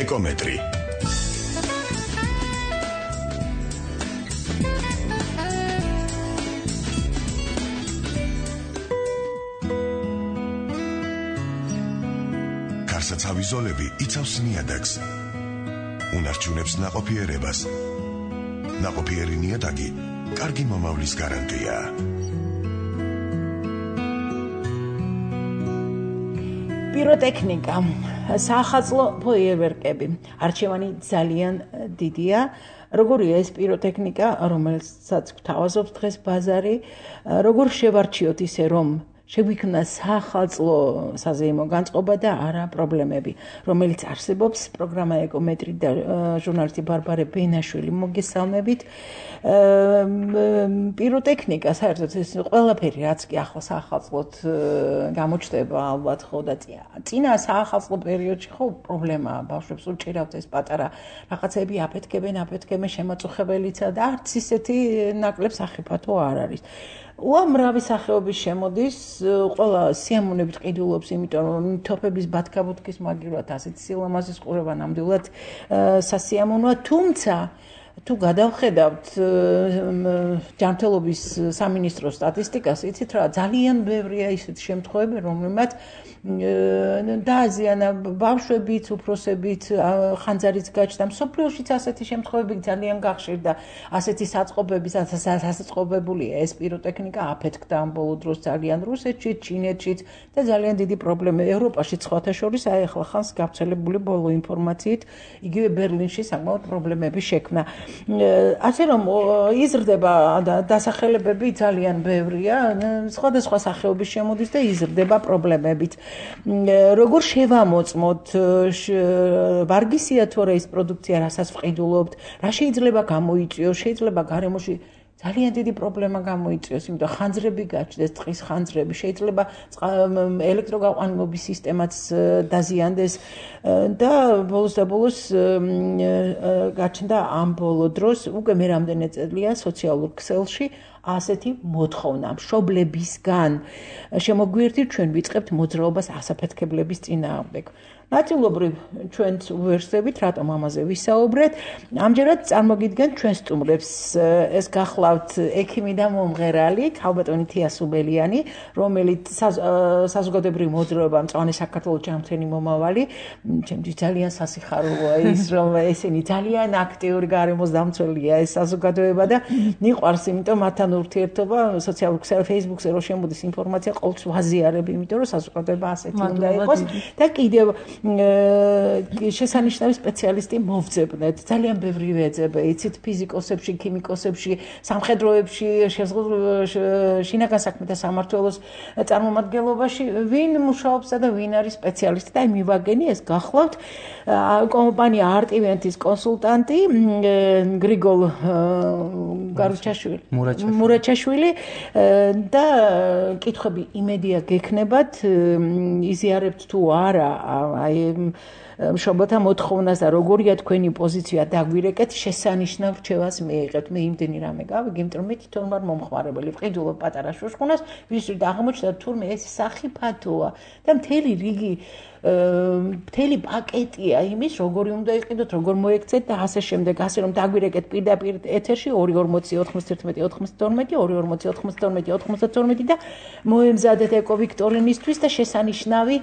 ეკომეტრი. კარსაცავი ზოლები იცავს ნიადაგს. უნარჩუნებს ნაყოფიერებას. ნაყოფიერი ნიადაგი კარგი მომავლის გარანტია. პიროტექნიკა, საახალწლო ფოიერვერკები. არჩევანი ძალიან დიდია. როგორია ეს პიროტექნიკა, რომელსაც გვთავაზობს დღეს ბაზარი, როგორ შევარჩიოთ ისე, რომ შეგვიქმნა საახალწლო საზეიმო განწყობა და არა პრობლემები, რომელიც არსებობს. პროგრამა ეკომეტრი და ჟურნალისტი ბარბარე ბენაშვილი მოგესალმებით. პიროტექნიკა საერთოდ ეს ყველაფერი რაც კი ახლა საახალწლოდ გამოჩნდება ალბათ ხო და წინა საახალწლო პერიოდში ხო პრობლემაა ბავშვებს უჭირავთ ეს პატარა რაღაცები აფეთქებენ შემაწუხებელიცა და არც ისეთი ნაკლებ სახიფათო არ არის. უამრავი სახეობის შემოდის, ყველა სიამოვნებით ყიდულობს, იმიტომ რომ თოფების ბათქაბუთქის მაგივრად ასეთ სილამაზის ყურება ნამდვილად სასიამოვნოა, თუმცა თუ გადავხედავთ ჯანმრთელობის სამინისტროს სტატისტიკას, იცით რა, ძალიან ბევრია ისეთი შემთხვევები, რომელმაც დააზიანა ბავშვებიც, უფროსებიც, ხანძარიც გაჩნდა. მსოფლიოშიც ასეთი შემთხვევები ძალიან გახშირდა, ასეთი საწყობების, ასაწყობებულია ეს პიროტექნიკა აფეთქდა ამ ბოლო დროს ძალიან რუსეთშიც, ჩინეთშიც და ძალიან დიდი პრობლემა ევროპაში სხვათა შორის, აი ახლა ხანს გავრცელებული ბოლო ინფორმაციით, იგივე ბერლინში საკმაოდ პრობლემები შექმნა. ასე რომ იზრდება დასახელებები ძალიან ბევრია, სხვადასხვა სახეობის შემოდის და იზრდება პრობლემებით. როგორ შევამოწმოთ, ვარგისია თუ არა ის პროდუქცია, რასაც ვყიდულობთ, რა შეიძლება გამოიწვიოს, შეიძლება გარემოში ძალიან დიდი პრობლემა გამოიწვიოს, იმიტომ ხანძრები გაჩნდეს, წყლის ხანძრები, შეიძლება ელექტროგაყვანილობის სისტემაც დაზიანდეს და ბოლოს გაჩნდა ამ ბოლო დროს, უკვე მე რამდენი წელია სოციალურ ქსელში ასეთი მოთხოვნა მშობლებისგან შემოგვიერთით ჩვენ ვიწყებთ მოძრაობას ასაფეთქებლების წინააღმდეგ. ნაწილობრივ ჩვენც უერთდებით, რატომ ამაზე ვისაუბრეთ. ამჯერად წარმოგიდგენთ ჩვენ სტუმრებს. ეს გახლავთ ექიმი და მომღერალი ქალბატონი თია სუბელიანი, რომელიც საზოგადოებრივი მოძრაობა მწვანე საქართველოს ჯანმრთელი მომავალი. ჩემთვის ძალიან სასიხარულოა ის, რომ ესენი ძალიან აქტიური გარემოს დამცველია ეს საზოგადოება და მიყვარს, იმიტომ მათთან ურთიერთობა სოციალურ ქსელში, Facebook-ზე რო შემოდის ინფორმაცია, ყოველთვის ვაზიარებ, იმიტომ რომ საზოგადოება ასეთი უნდა იყოს და კიდევ შესანიშნავი სპეციალისტი მოვძებნეთ. ძალიან ბევრი ვეძებე, იცით, ფიზიკოსებში, ქიმიკოსებში, სამხედროებში, შინაგან საქმეთა სამმართველოს წარმომადგენლობაში, ვინ მუშაობსა და ვინ არის სპეციალისტი და მივაგენი ეს გახლავთ კომპანია არტივენტის კონსულტანტი გრიგოლ მურაჩაშვილი და კითხვები იმედია გექნებათ, იზიარებთ თუ არა აი მშობელთა მოთხოვნას და როგორია თქვენი პოზიცია დაგვირეკეთ, შესანიშნავ რჩევას მიიღებთ. მე იმდენი რამე გავიგე, იმიტომ რომ მე თვითონ ვარ მომხმარებელი, ვყიდულობ პატარა შუშხუნას, ვისწრით აღმოჩნდა თურმე ეს სახიფათოა და მთელი რიგი მთელი პაკეტია იმის, როგორი უნდა იყიდოთ, როგორ მოექცეთ და ასე შემდეგ, ასე რომ დაგვირეკეთ პირდაპირ ეთერში 240-91-92 და მოემზადეთ ეკოვიქტორინისთვის და შესანიშნავი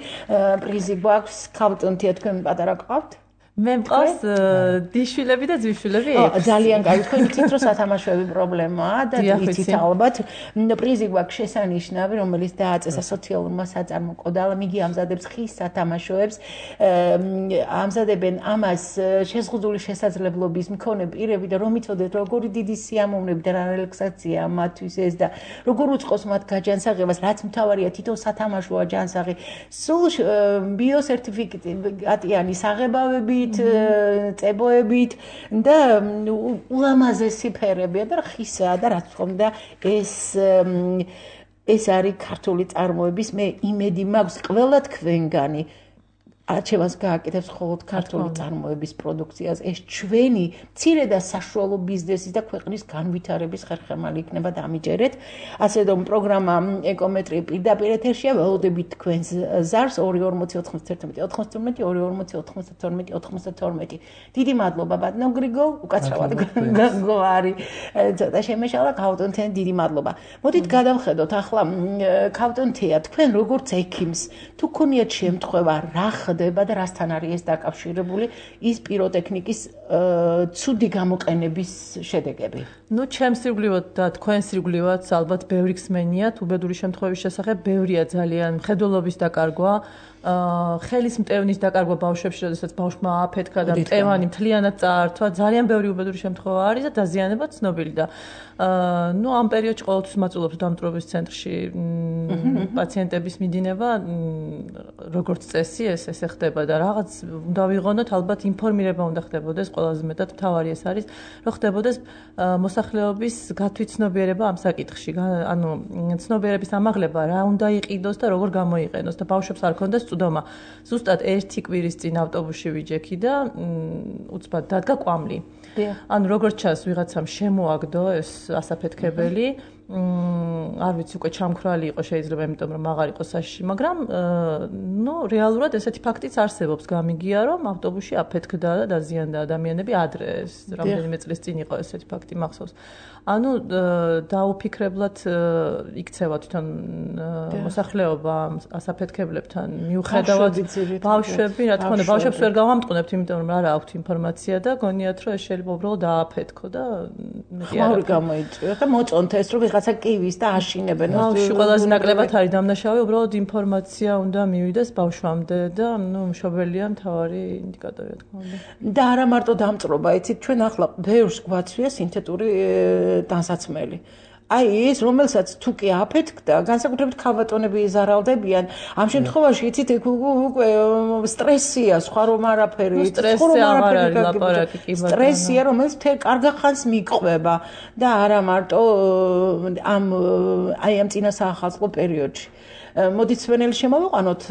პრიზი გვაქვს. ქალბატონთია, თქვენ პატარა ყავთ? მე მყავს დიშვილები და ძვიშვილები. ძალიან კარგი, თქვენ იცით რომ სათამაშოები პრობლემაა და იცით ალბათ პრიზი გვაქვს შესანიშნავი, რომელიც დააწესა სოციალურმა საწარმოყოდალამ, იგი ამზადებს ხის სათამაშოებს, ამზადებენ ამას შეზღუდული შესაძლებლობის მქონე პირები და რომ იცოდეთ როგორი დიდი სიამოვნები და რელაქსაცია მათთვის ეს და როგორ უწყობს მათ გაჯანსაღებას, რაც მთავარია თითო სათამაშოა ჯანსაღი, სულ ბიოსერტიფიკატიანი საღებავები წებოებით და ულამაზესი ფერებია და ხისაა და რაც თქმა უნდა ეს არის ქართული წარმოების მე იმედი მაქვს ყველა თქვენგანი არჩევანს გააკეთებს მხოლოდ ქართული წარმოების პროდუქციას. ეს ჩვენი მცირე და საშუალო ბიზნესის და ქვეყნის განვითარების ხერხემალი იქნება დამიჯერეთ. ასე რომ პროგრამა ეკომეტრი პირდაპირ ეთერშია, ველოდებით თქვენს ზარს 240 91 92 240 92 92. დიდი მადლობა ბატონო გრიგოლ, უკაცრავად გვარი. ცოტა შემეშალა ქავტონთენ დიდი მადლობა. მოდით გადავხედოთ ახლა ქავტონთეა თქვენ როგორც ექიმს თუ გქონიათ შემთხვევა რა ხდება და რასთან არის ეს დაკავშირებული ის პიროტექნიკის ცუდი გამოყენების შედეგები. ნუ ჩემს ირგვლივად და თქვენს ირგვლივად ალბათ ბევრი ხსმენიათ უბედური შემთხვევების შესახებ, ბევრია ძალიან მხედველობის დაკარგვა, ხელის მტევნის დაკარგვა ბავშვებში, როდესაც ბავშვმა ააფეთქა და მტევანი მთლიანად წაართვა, ძალიან ბევრი უბედური შემთხვევა არის და დაზიანება ცნობილი და ნუ ამ პერიოდში ყოველთვის მაწულობს დამწვრობის ცენტრში პაციენტების მიდინება, როგორც წესი ეს ხდება და რაღაც უნდა ვიღონოთ, ალბათ ინფორმირება უნდა ხდებოდეს, ყველაზე მეტად მთავარი ეს არის, რომ ხდებოდეს მოსახლეობის გათვითცნობიერება ამ საკითხში, ანუ ცნობიერების ამაღლება რა უნდა იყიდოს და როგორ გამოიყენოს და ბავშვებს არ ქონდეს წვდომა. ზუსტად ერთი კვირის წინ ავტობუსში ვიჯექი და უცბად დადგა კვამლი. ანუ როგორც ჩანს ვიღაცამ შემოაგდო ეს ასაფეთქებელი, არ ვიცი უკვე ჩამქრალი იყო შეიძლება იმიტომ რომ აღარ იყო საშიში, მაგრამ ნუ რეალურად ესეთი ფაქტიც არსებობს, გამიგია რომ ავტობუსში აფეთქდა და დაზიანდა ადამიანები ადრე, ეს რამდენიმე წლის წინ იყო ესეთი ფაქტი მახსოვს. ანუ დაუფიქრებლად იქცევა თვითონ მოსახლეობა ასაფეთქებლებთან მიუხედავად ბავშვები, რა თქმა უნდა, ბავშვებს ვერ გავამტყუნებთ, იმიტომ რომ არა აქვთ ინფორმაცია და გონიათ რომ ეს შეიძლება უბრალოდ დააფეთქო და ხმაური გამოიწვიოთ და მოწონთ ეს რომ ვიღაცა კივის და აშინებენ. ბავშვი ყველაზე ნაკლებად არის დამნაშავე, უბრალოდ ინფორმაცია უნდა მივიდეს ბავშვამდე და ნუ მშობელია მთავარი ინდიკატორი, რა თქმა უნდა. და არა მარტო დამწრობა, იცით, ჩვენ ახლა ბევრს გვაცვია სინთეტური ტანსაცმელი. აი ეს რომელსაც თუ კი აფეთქდა, განსაკუთრებით ქალბატონები იზარალდებიან. ამ შემთხვევაში იცით უკვე სტრესია, სხვა რომ არაფერი, სტრესია, რომელიც მთელ კარგ ხანს მიყვება და არა მარტო ამ წინა საახალწლო პერიოდში. მოდით სვენელი შემოვიყვანოთ,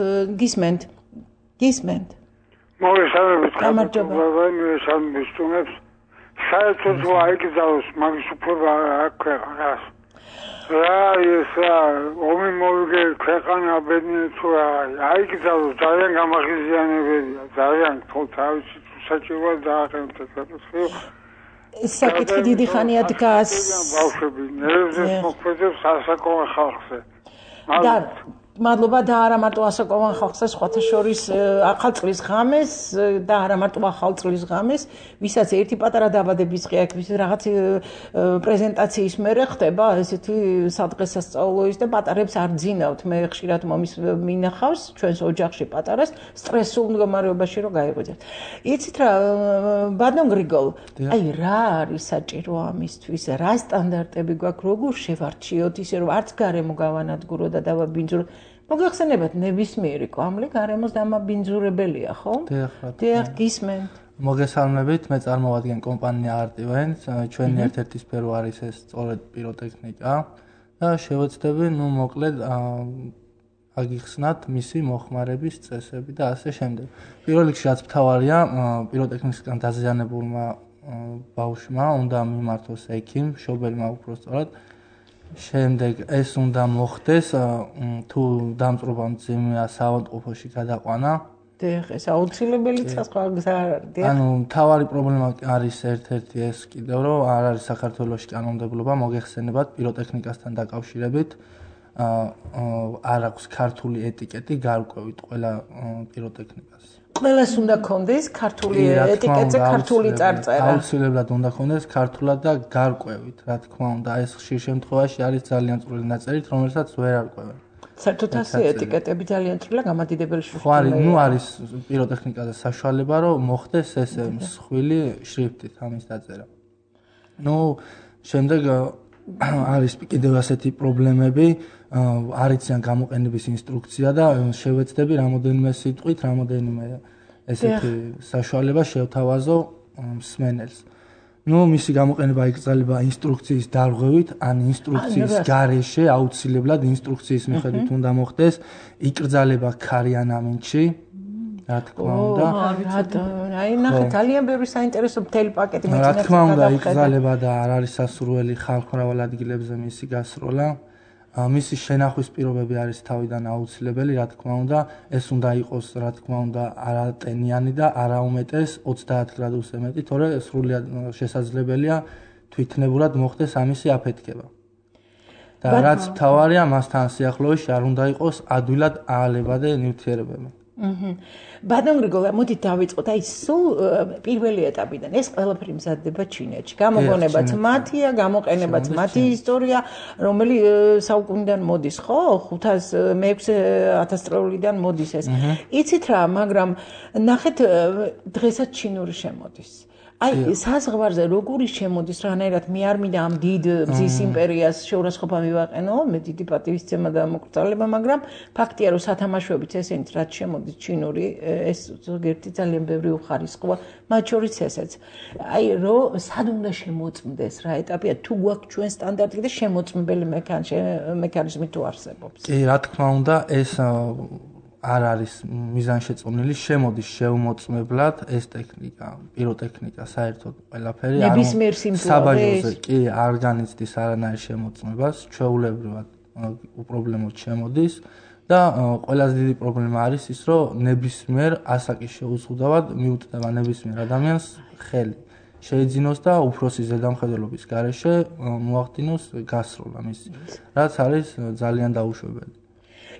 გისმენთ? მოგესალმებით, გამარჯობა. საერთოდ აიგზავნოს მაგის უფლება არ ქვეყანას. რა ეს ომი მოვიგე ქვეყანა ბედნიერი თუ რა აიგზავნოს ძალიან გამაღიზიანებელია, ძალიან თავისი საჭიროა დააყენოთ ეს საკითხი დიდი ხანია დგას. ბავშვები ნერვზეც მოქმედებს ასაკოვან ხალხზე. მადლობა და არა მარტო ასაკოვან ხალხზე, სხვათა შორის ახალწლის ღამეს და არა მარტო ახალწლის ღამეს, ვისაც ერთი პატარა დაბადების დღე აქვს, რაღაც პრეზენტაციის მერე ხდება ესეთი სადღესასწაულო ის და პატარებს არ ძინავთ. მე ხშირად მომის მინახავს ჩვენს ოჯახში პატარას სტრესულ მდგომარეობაში რომ გაიღვიძებს. იცით რა, ბატონ გრიგოლ, აი რა არის საჭირო ამისთვის? რა სტანდარტები გვაქვს, როგორ შევარჩიოთ ისე რომ არც გარემო გავანადგურო და დავაბინძურო? მოგეხსენებათ ნებისმიერი კვამლი გარემოს დამაბინძურებელია, ხო? დიახ, გისმენთ. მოგესალმებით, მე წარმოვადგენ კომპანია Artivent, ჩვენი ერთ-ერთი სფერო არის ეს სწორედ პიროტექნიკა და შევეცდები, მოკლედ აგიხსნათ მისი მოხმარების წესები და ასე შემდეგ. პირველ რიგში რაც მთავარია, პიროტექნიკისგან დაზიანებულმა ბავშვმა უნდა მიმართოს ექიმ, მშობელმა უпростоრად. შემდეგ ეს უნდა მოხდეს თუ დამწრობა მძიმეა საავადმყოფოში გადაყვანა. დიახ, ეს აუცილებელი სხვა გზა არ არის. ანუ მთავარი პრობლემა არის ერთ-ერთი ეს კიდევ რომ არ არის საქართველოში კანონმდებლობა მოგეხსენებათ პიროტექნიკასთან დაკავშირებით. არ აქვს ქართული ეტიკეტი გარკვევით ყველა პიროტექნიკას. ყველას უნდა კონდეს ქართული ეტიკეტზე ქართული წარწერა. აუცილებლად უნდა კონდეს ქართულად და გარკვევით, რა თქმა უნდა, ეს ხშირ შემთხვევაში არის ძალიან წვრილი ნაწერით, რომელსაც ვერ არკვევენ. საერთოდ ასე ეტიკეტები ძალიან წვრილა გამადიდებელი შრიფტით. ხო არის, ნუ არის პიროტექნიკაზე საშუალება, რომ მოხდეს ესე მსხვილი შრიფტით ამის დაწერა. ნუ შემდეგ არის კიდევ ასეთი პრობლემები, არ იციან გამოყენების ინსტრუქცია და შევეცდები რამოდენიმე სიტყვით, რამოდენიმე ესეთი საშუალება შევთავაზო მსმენელს. ნუ მისი გამოყენება იკრძალება ინსტრუქციის დარღვევით, ან ინსტრუქციის გარეშე აუცილებლად ინსტრუქციის მიხედვით უნდა მოხდეს, იკრძალება ქარიან ამინდში. რა თქმა უნდა. აი ნახე ძალიან ბევრი საინტერესო მთელი პაკეტი მეცნიერებს რა თქმა უნდა იგზალება და არ არის სასურველი ხალხ მრავალ ადგილებზე მისი გასროლა. მისი შენახვის პირობები არის თავიდან აუცილებელი, რა თქმა უნდა, ეს უნდა იყოს, რა თქმა უნდა, არატენიანი და არაუმეტეს 30 გრადუსზე მეტი, თორე სრულიად შესაძლებელია თვითნებურად მოხდეს ამისი აფეთქება. და რაც მთავარია, მასთან სიახლოვეში არ უნდა იყოს ადვილად აალებადი ნივთიერებები. ბატონ გრიგოლ, მოდით დავიწყოთ აი სულ პირველი ეტაპიდან. ეს ყველაფერი მზადდება ჩინეთში. გამოგონებაც მათია, გამოყენებაც მათი ისტორია, რომელი საუკუნიდან მოდის, ხო? 500-600 წლიდან მოდის ეს. იცით რა, მაგრამ ნახეთ დღესაც ჩინური შემოდის. აი საზღვარზე როგორი შემოდის რანაირად მე არ მინდა ამ დიდ მზის იმპერიას შეურაცხყოფა მივაყენო, მე დიდი პატივისცემა და მოკრძალება, მაგრამ ფაქტია რომ სათამაშოებით ესენიც რაც შემოდის ჩინური ეს ზოგიერთი ძალიან ბევრი უხარისხოა, მათ შორის ესეც. აი რომ სად უნდა შემოწმდეს რა ეტაპია თუ გვაქვს ჩვენ სტანდარტი და შემოწმებელი მექანიზმი თუ არსებობს. კი, რა თქმა უნდა, ეს არ არის მიზანშეწონილი, შემოდის შეუმოწმებლად ეს ტექნიკა, პიროტექნიკა, საერთოდ ყველაფერი ნებისმიერ საბაჟოზე კი არ განიცდის არანაირ შემოწმებას, ჩვეულებრივად უპრობლემოდ შემოდის და ყველაზე დიდი პრობლემა არის ის, რომ ნებისმიერ ასაკის შეუზღუდავად მიუტდება ნებისმიერ ადამიანს ხელი. შეიძინოს და უფროსი ზედამხედველობის გარეშე მოახდინოს გასროლა მისი, რაც არის ძალიან დაუშვებელი.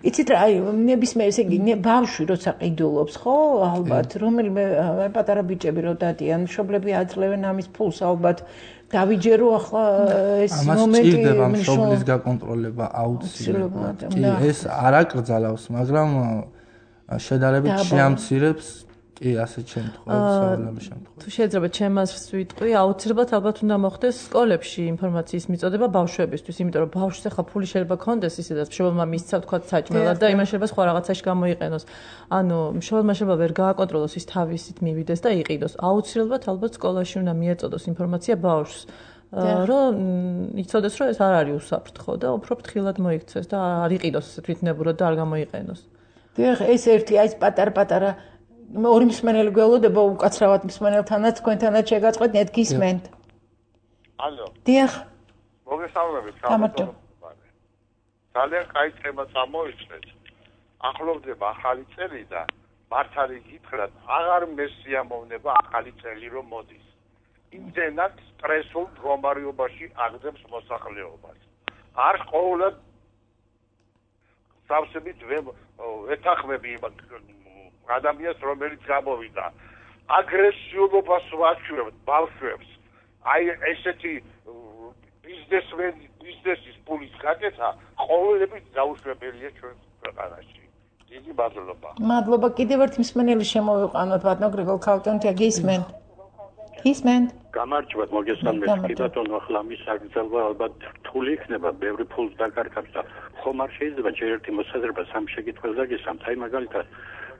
იცით რა, აი ნებისმიერ ესე იგი ბავშვი როცა ყიდულობს, ხო, ალბათ, რომელიმე პატარა ბიჭები რო დადიან, მშობლები აძლევენ ამის ფულს, ალბათ დავიჯერო ახლა ეს მომენტი სჭირდება მშობლის გაკონტროლება აუცილებლად. კი, ეს არ აკრძალავს, მაგრამ შედარებით შეამცირებს კი, ასეთ შემთხვევებში, სავარაუდო შემთხვევებში. თუ შეიძლება ჩემს ვიტყვი, აუცილებლად ალბათ უნდა მოხდეს სკოლებში ინფორმაციის მიწოდება ბავშვებისთვის, იმიტომ რომ ბავშვს ახლა ფული შეიძლება ქონდეს ისედაც მშობელმა მისცა თქვა საჭმელად და იმან შეიძლება სხვა რაღაცაში გამოიყენოს. ანუ მშობელმა შეიძლება ვერ გააკონტროლოს ის თავისით მივიდეს და იყიდოს. აუცილებლად ალბათ სკოლაში უნდა მიეწოდოს ინფორმაცია ბავშვს. რომ იცოდეს რომ ეს არ არის უსაფრთხო და უფრო ფრთხილად მოიქცეს და არ იყიდოს თვითნებურად და არ გამოიყენოს. დიახ, ეს ერთი აი პატარ-პატარა ორი მსმენელი გველოდება უკაცრავად მსმენელთანაც თქვენთანაც შეგაწყვეტ ნეთ გისმენთ. ალო. დიახ. მოგესალმებით, გამარჯობა. ძალიან კაი თემა წამოიწყეთ. ახლოვდება ახალი წელი და მართალი გითხრათ, აღარ მესიამოვნება ახალი წელი რომ მოდის. იმდენად სტრესულ მდგომარეობაში აგდებს მოსახლეობას. არ ყოველად სავსებით ეთანხმები ადამიანს რომელიც გამოვიდა აგრესიულობას ვაჩვევთ ბავშვებს აი ესეთი ბიზნესის პულის გაკეთა ყოველებით დაუშვებელია ჩვენ ქვეყანაში დიდი მადლობა მადლობა კიდევ ერთი მსმენელი შემოვიყვანოთ ბატონ გრიგოლ ქალტონთია გისმენთ გამარჯობათ მოგესალმებით კი ბატონო ახლა მის აგრძელვა ალბათ რთული იქნება ბევრი ფულს დაკარგავს და ხომ არ შეიძლება ჯერ ერთი მოსაზრება სამ შეკითხვას დაგესამთ აი მაგალითად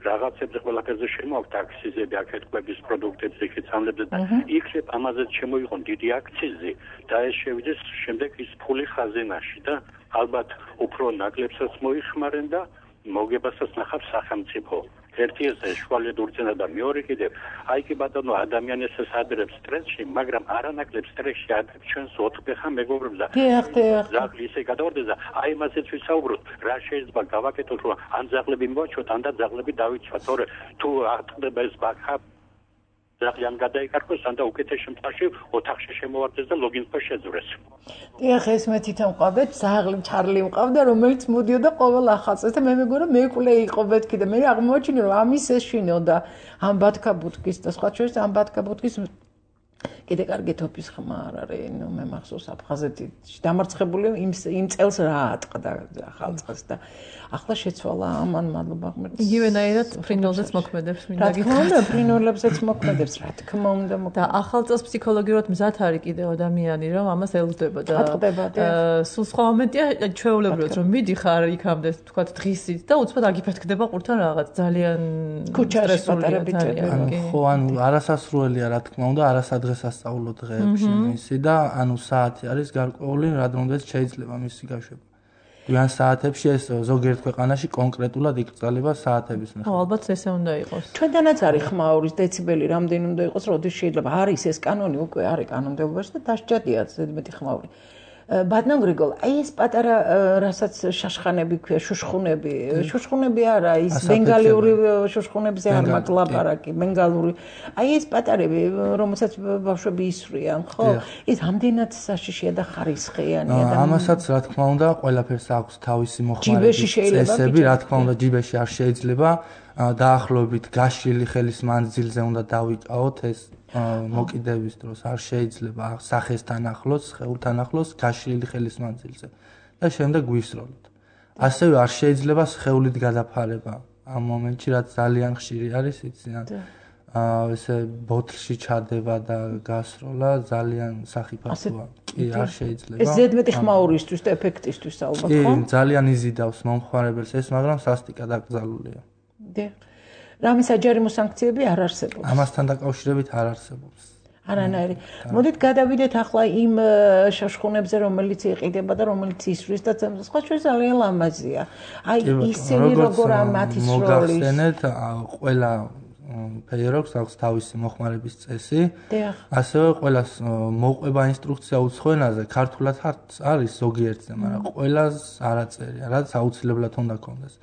რაღაცებზე ყველაფერზე შემოაქვთ აქციზები, აქეთქვების პროდუქტებზე, ხიცამლებზე და იქნებ ამაზე შემოიღონ დიდი აქციზი და ეს შევიდეს შემდეგ ის ფული ხაზინაში და ალბათ უფრო ნაკლებსაც მოიხმარენ და მოგებასაც ნახავს სახელმწიფო. ერთი ეს შუალედ ურწენა და მეორე კიდევ აი კი ბატონო ადამიანს ადრებს სტრესში, მაგრამ არანაკლებ სტრესში ადრებს ჩვენს ოთხფეხა მეგობრებს და ზაღლი ისე გადავარდეს და აი მასეც ვისაუბროთ, რა შეიძლება გავაკეთოთ, რომ ან ზაღლები მოვაჩვოთ, ან და ზაღლები დავიცვათ, თორე თუ არტყდება ეს ბაქა ზაღლიან გადაიკარგოს, ან და უკეთეს შემთხვევაში ოთახში შემოვარდეს და ლოგინსკო შეძვრეს. დიახ, ეს მე თვითონ მყავდეთ, ზაღლი ჩარლი მყავდა, რომელიც მოდიოდა ყოველ ახალწელს და მე მეგონა მეუკლე იყო მეთქი და მე აღმოაჩინე, რომ ამის ეს შინოდა ამ ბათქა ბუტკის და სხვა შორის ამ ბათქა ბუტკის კიდე კარგი თოფის ხმა არ არის, ნუ მე მახსოვს აფხაზეთი დამარცხებული იმ წელს რა ატყდა ახალწელს და ახლა შეცვალა ამან მადლობა ღმერთს. იგივენაირად ფრინველზეც მოქმედებს მინდა გითხრათ. რა თქმა უნდა, ფრინველებზეც მოქმედებს, რა თქმა უნდა მოქმედებს. და ახალწელს ფსიქოლოგიურად მზად არის კიდევ ადამიანი, რომ ამას ელოდება და სულ სხვა მომენტია ჩვეულებრივად რომ მიდიხარ იქამდე თქვა დღისით და უცბად აგიფეთქდება ყურთან რაღაც ძალიან სტრესულია. ხო, ანუ არასასრულია რა თქმა უნდა, არასადღესასწაულო დღეებში მისი და ანუ საათი არის გარკვეული, რადგან შეიძლება მისი გაშვება. გვიან საათებში ეს ზოგიერთ ქვეყანაში კონკრეტულად იკრძალება საათების მიხედვით. ალბათ ესე უნდა იყოს. ჩვენთანაც არის ხმაურის დეციბელი რამდენი უნდა იყოს, როდის შეიძლება არის ეს კანონი უკვე არის კანონმდებლობაში და დასჭადია ზედმეტი ხმაური. ბატონო გრიგოლ, აი ეს პატარა რასაც შაშხანები ქვია, შუშხუნები არა, ის ბენგალიური შუშხუნებზე არ მაქვს ლაპარაკი, ბენგალური. აი ეს პატარები, რომელსაც ბავშვები ისვრიან, ხო? ის ამდენად საშიშია და ხარისხიანია და ამასაც რა თქმა უნდა, ყველაფერს აქვს თავისი მოხმარების წესები, რა თქმა უნდა, ჯიბეში არ შეიძლება დაახლოებით გაშლილი ხელის მანძილზე უნდა დავიკავოთ ეს მოკიდების დროს არ შეიძლება სახესთან ახლოს, სხეულთან ახლოს გაშლილი ხელის მანძილზე და შემდეგ ვისროლოთ. ასევე არ შეიძლება სხეულით გადაფარება ამ მომენტში, რაც ძალიან ხშირი არის, იციან. ესე ბოთლში ჩადება და გასროლა ძალიან სახიფათოა. კი, არ შეიძლება. ეს ზედმეტი ხმაურისთვის და ეფექტისთვის ალბათ, ხო? კი, ძალიან იზიდავს მომხმარებელს ეს, მაგრამ სასტიკად აკრძალულია. დიახ. რამე საჯარიმო სანქციები არ არსებობს. ამასთან დაკავშირებით არ არსებობს. არანაირი. მოდით გადავიდეთ ახლა იმ შაშხუნებზე, რომელიც იყიდება და რომელიც ისვრის და სხვა შორის ძალიან ლამაზია. აი ისინი როგორ ამათის როლი. მოგახსენეთ, ყველა ფეიეროქს აქვს თავისი მოხმარების წესი. ასევე ყველას მოყვება ინსტრუქცია უცხოენაზე, ქართულად არის ზოგიერთზე, მაგრამ ყველას არ აწერია, რაც აუცილებლად უნდა კონდეს.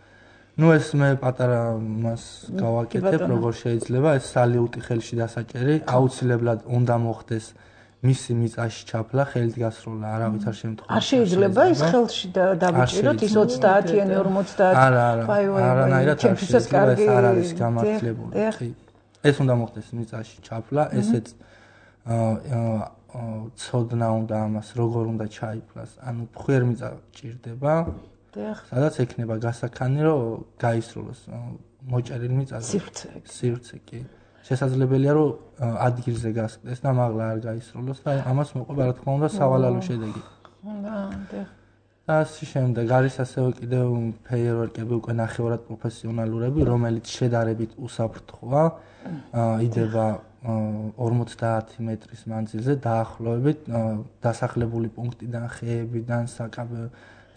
ნუ ეს მე პატარა მას გავაკეთებ, როგორ შეიძლება ეს სალიუტი ხელში დასაჭერი, აუცილებლად უნდა მოხდეს მისი მიწაში ჩაფლა, ხელით გასროლა, არავითარ შემთხვევაში. არ შეიძლება ის ხელში დავიჭიროთ ის 30-იანი, 50. არანაირად არ შეიძლება, ეს არ არის გამართლებული. ეს უნდა მოხდეს მიწაში ჩაფლა, ესეც ცოდნა უნდა ამას, როგორ უნდა ჩაიფლას. ანუ ფხვიერ მიწა ჭირდება. სადაც ექნება გასაქანი, რომ გაისროლოს მოჭერილ მიწაზე. სივრცე კი. შესაძლებელია, რომ ადგილზე გასკდეს და მაღლა არ გაისროლოს და ამას მოყვება, რა თქმა უნდა, სავალალო შედეგი. და ასე შემდეგ არის ასევე კიდევ ფეიერვერკები უკვე ნახევრად პროფესიონალურები, რომელიც შედარებით უსაფრთხოა, იდება 50 მეტრის მანძილზე დაახლოებით დასახლებული პუნქტიდან, ხეებიდან,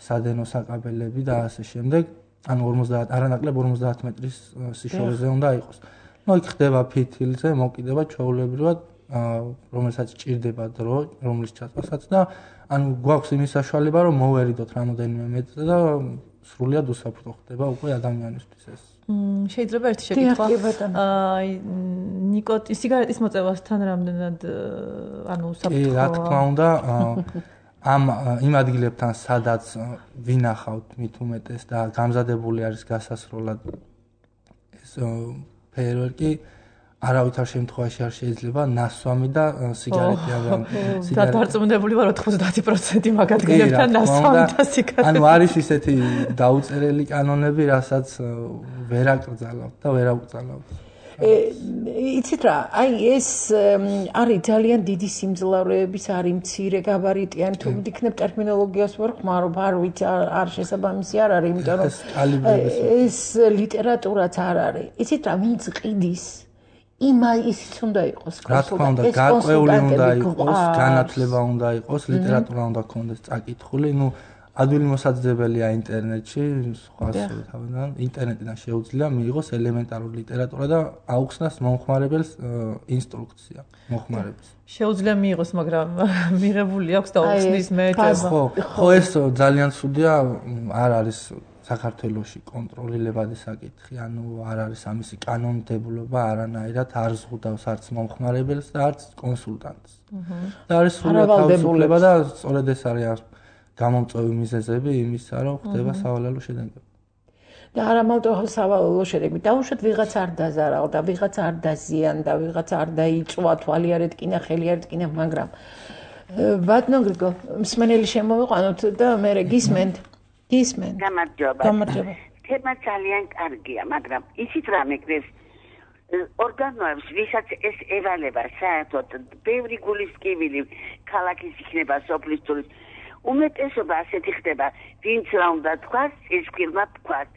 სადენო საკაბელები და ასე შემდეგ, ანუ 50 არანაკლებ 50 მეტრის სიშორეზე უნდა იყოს. ნუ იქ ხდება ფითილზე, მოკიდება ჩვეულებრივად, რომელსაც ჭირდება დრო, რომლის ჩაწვასაც და ანუ გვაქვს იმის საშუალება, რომ მოვერიდოთ რამოდენიმე მეტრზე და სრულიად უსაფრთხო ხდება უკვე ადამიანისთვის ეს. შეიძლება ერთი შეკითხვა. სიგარეტის მოწევასთან რამდენად ანუ უსაფრთხოა? რა თქმა უნდა, იმ ადგილებთან, სადაც ვინახავთ მით უმეტეს და გამზადებული არის გასასროლად ეს ფეიერვერკი, არავითარ შემთხვევაში არ შეიძლება ნასვამი და სიგარეტი ამ დარწმუნებული ვარ 90% მაგ ადგილებთან ნასვამი და სიგარეტი. ანუ არის ისეთი დაუწერელი კანონები, რასაც ვერ აკრძალავთ და ვერ აუკრძალავთ. იცით რა, აი ეს არის ძალიან დიდი სიმძლავრეების, არის მცირე გაბარიტიანი, თუ ვიქნებ ტერმინოლოგიას ვერ ხმარობ, არ ვიცი, არ შესაბამისი არ არის, იმიტომ რომ ეს ლიტერატურაც არ არის. იცით რა, ვინც ყიდის ისიც უნდა იყოს. რა თქმა უნდა, გარკვეული უნდა იყოს, განათლება უნდა იყოს, ლიტერატურა უნდა ქონდეს წაკითხული, ნუ ადვილი მოსაძებელია ინტერნეტში, სხვა თავიდან ინტერნეტიდან შეუძლია მიიღოს ელემენტარული ლიტერატურა და აუხსნას მომხმარებელს ინსტრუქცია მომხმარების. შეუძლია მიიღოს, მაგრამ მიღებული აქვს და აუხსნის მეეჭება. ხო, ეს ძალიან ცუდია, არ არის საქართველოში კონტროლილებადი საკითხი, ანუ არ არის ამისი კანონმდებლობა არანაირად არ ზღუდავს არც მომხმარებელს და არც კონსულტანტს. და არის სრულად თავისუფლება და სწორედ ეს არის გამომწვევი მიზეზები იმისა, რომ ხდება სავალალო შედეგები. და არა მარტო სავალალო შედეგები, დაუშვათ ვიღაც არ დაზარალ და ვიღაც არ დაზიანდა, ვიღაც არ დაიწვა, თვალი არ ეტკინა, ხელი არ ეტკინა, მაგრამ ბატონო გრიგოლ, მსმენელი შემოვიყვანოთ და მე გისმენთ. გამარჯობა. თემა ძალიან კარგია, მაგრამ ისიც რა მეკრეს ორგანოებს, ვისაც ეს ევალება საერთოდ ბევრი გულისკივილი ქალაქის იქნება სოფლის ტურის უმეტესობა ასეთი ხდება, ვინც რა უნდა თქვას, ის ფირმა თქვას.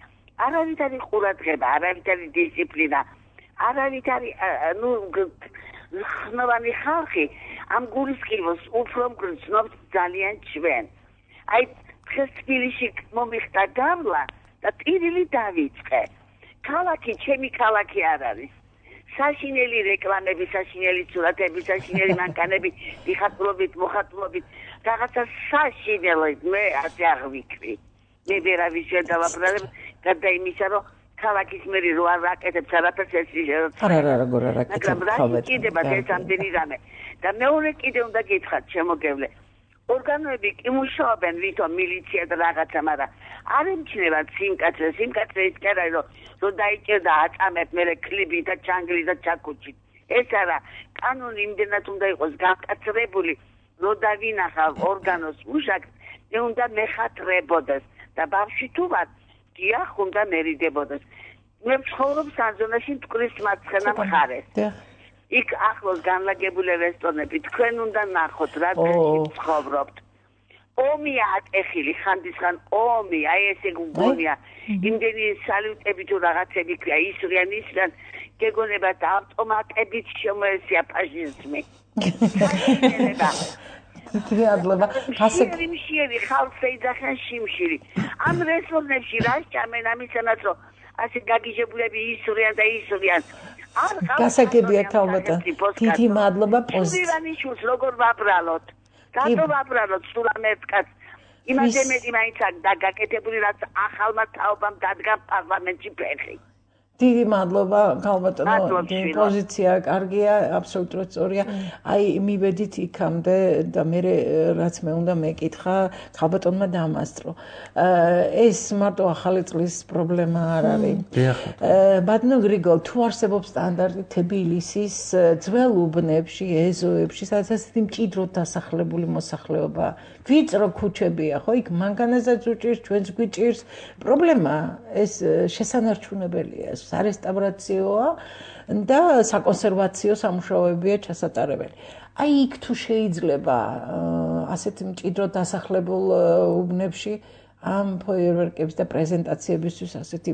არავითარი ყურადღება, არავითარი დისციპლინა, არავითარი ხნოვანი ხალხი ამ გულისკივოს უფრო მგრძნობს ძალიან ჩვენ. აი დღეს თბილისში მომიხდა გამლა და ტირილი დავიწყე. ქალაქი ჩემი ქალაქი არ არის. საშინელი რეკლამები, საშინელი სურათები, საშინელი მანქანები, დიხატულობით, მოხატულობით, რაღაცა საშინელი მე ასე აღვიქვი. მე ვერავის ვერ დავაბრალებ, გარდა იმისა, რომ ქალაქის მერი რო არ აკეთებს არაფერს ეს არა როგორ არ აკეთებს. მაგრამ რა კიდება ეს ამდენი რამე. და მეორე კიდე უნდა გითხრათ შემოგევლე. ორგანოები კი მუშაობენ ვითომ მილიცია და რაღაცა, მაგრამ არ ემჩნევათ სიმკაცრე. სიმკაცრე ის კი არა, რომ დაიჭერდა აწამებ მერე კლიბი და ჩანგლი და ჩაკუჩი. ეს არა, კანონი იმდენად უნდა იყოს გაკაცრებული, რომ დავინახავ ორგანოს მუშაკს, უნდა მეხათრებოდეს და ბავშვი თუ ვარ, დიახ, უნდა მერიდებოდეს. მე ვცხოვრობ სანზონაში მტკვრის მარცხენა მხარეს. იქ ახლოს განლაგებული რესტორნები, თქვენ უნდა ნახოთ რა დღეში ვცხოვრობთ. ომია ატეხილი ხანდისხან ომი, აი ესე გგონია. იმდენი სალუტები თუ რაღაცები ქვია, ისვრიან, გეგონებათ ავტომატებით შემოესია ფაშიზმი. თრიადლება ასე შიმშირი ხალხს ეძახიან შიმშირი. ამ რესტორნებში რა სჭამენ ამისანაც რომ ასე გაგიჟებულები ისვრიან და ისვრიან. გასაგებია თალბატონ. დიდი მადლობა პოზიტივანიშულს როგორ ვაბრალოთ. რატო ვაბრალოთ სულ ამ ერთკაც? იმაზე მეტი მაინც დაგაკეთებული რაც ახალმა თაობამ დადგა პარლამენტში ფეხი. დიდი მადლობა ქალბატონო, პოზიცია კარგია, აბსოლუტურად სწორია. აი მივედით იქამდე და მე რაც მე უნდა მეკითხა, ქალბატონმა დაამასწრო. ეს მარტო ახალი წლის პრობლემა არ არის. ბატონო გრიგოლ, თუ არსებობს სტანდარტი თბილისის ძველ უბნებში, ეზოებში, სადაც ასეთი მჭიდროდ დასახლებული მოსახლეობა, ვიწრო ქუჩებია, ხო, იქ მანქანასაც უჭირს, ჩვენც გვიჭირს. პრობლემა ეს შესანარჩუნებელია. სარესტავრაციოა და საკონსერვაციო სამუშაოებია ჩასატარებელი. აი იქ თუ შეიძლება ასეთ მჭიდროდ დასახლებულ უბნებში ამ ფოიერვერკების და პრეზენტაციებისთვის ასეთი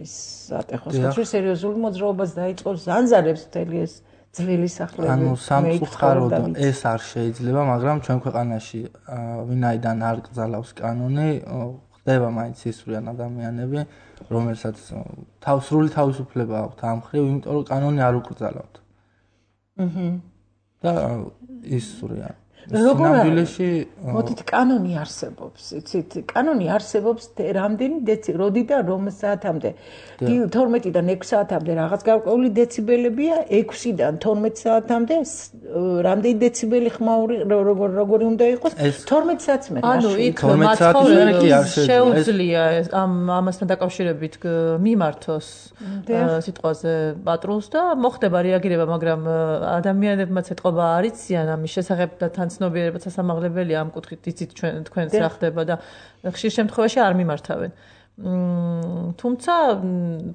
ის ატეხოს ხოჭი სერიოზული მოძრაობას დაიწყოს ზანზარებს მთელი ეს ძველი სახლები. ანუ სამწუხაროდ ეს არ შეიძლება, მაგრამ ჩვენ ქვეყანაში ვინაიდან არ კრძალავს კანონი, ხდება მაინც ისვრიან ადამიანები, რომელსაც სრული თავისუფლება აქვთ ამ მხრივ, იმიტომ რომ კანონი არ უკრძალავთ. და ისვრიან. ნამდვილში მოდით კანონი არსებობს, იცით, კანონი არსებობს რამდენი როდიდან რომ საათამდე 12-დან 6 საათამდე რაღაც გარკვეული დეციბელებია, 6-დან 12 საათამდე რამდენი დეციბელი ხმაური როგორი უნდა იყოს 12 საათს მე ანუ იქ მაცხოვრებელი შეუძლია ამასთან დაკავშირებით მიმართოს სიტყვაზე პატრულს და მოხდება რეაგირება, მაგრამ ადამიანებმაც ეთყობა არ იციან ამის შესახებ და ცნობიერებაც სასამაღლებელია ამ კუთხით იცით თქვენს რა ხდება და ხშირ შემთხვევაში არ მიმართავენ. თუმცა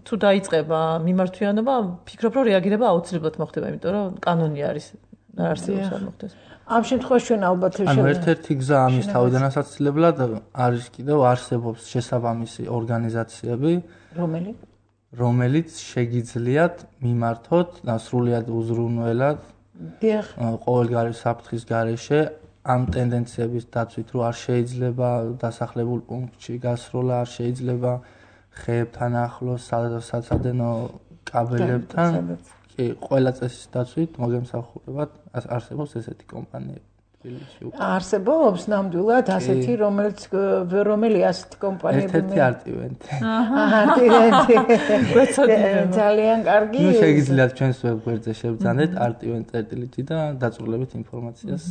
თუ დაიწყება მიმართვიანობა, ფიქრობ რომ რეაგირება აუცილებლად მოხდება, იმიტომ რომ კანონი არის არ არსებობს არ მოხდეს. ამ შემთხვევაში ჩვენ ალბათ ანუ ერთ-ერთი გზა ამის თავიდანასაცილებლად არის კიდევ არსებობს შესაბამისი ორგანიზაციები, რომელიც შეგიძლიათ მიმართოთ და სრულიად უზრუნველად ყოველგვარი საფრთხის გარეშე ამ ტენდენციების დაცვით, რომ არ შეიძლება დასახლებულ პუნქტში გასროლა, არ შეიძლება ხეებთან ახლოს, საცადენო კაბელებთან, კი, ყველა წესის დაცვით მოგემსახურებათ არსებობს ესეთი კომპანიები. არსებობს ნამდვილად ასეთი, რომელი ასეთი კომპანიები ერთ-ერთი არტივენტი. ძალიან კარგი. ნუ შეგიძლიათ ჩვენს ვებგვერდზე შევძანეთ არტივენტ.lt და დაწვრილებით ინფორმაციას.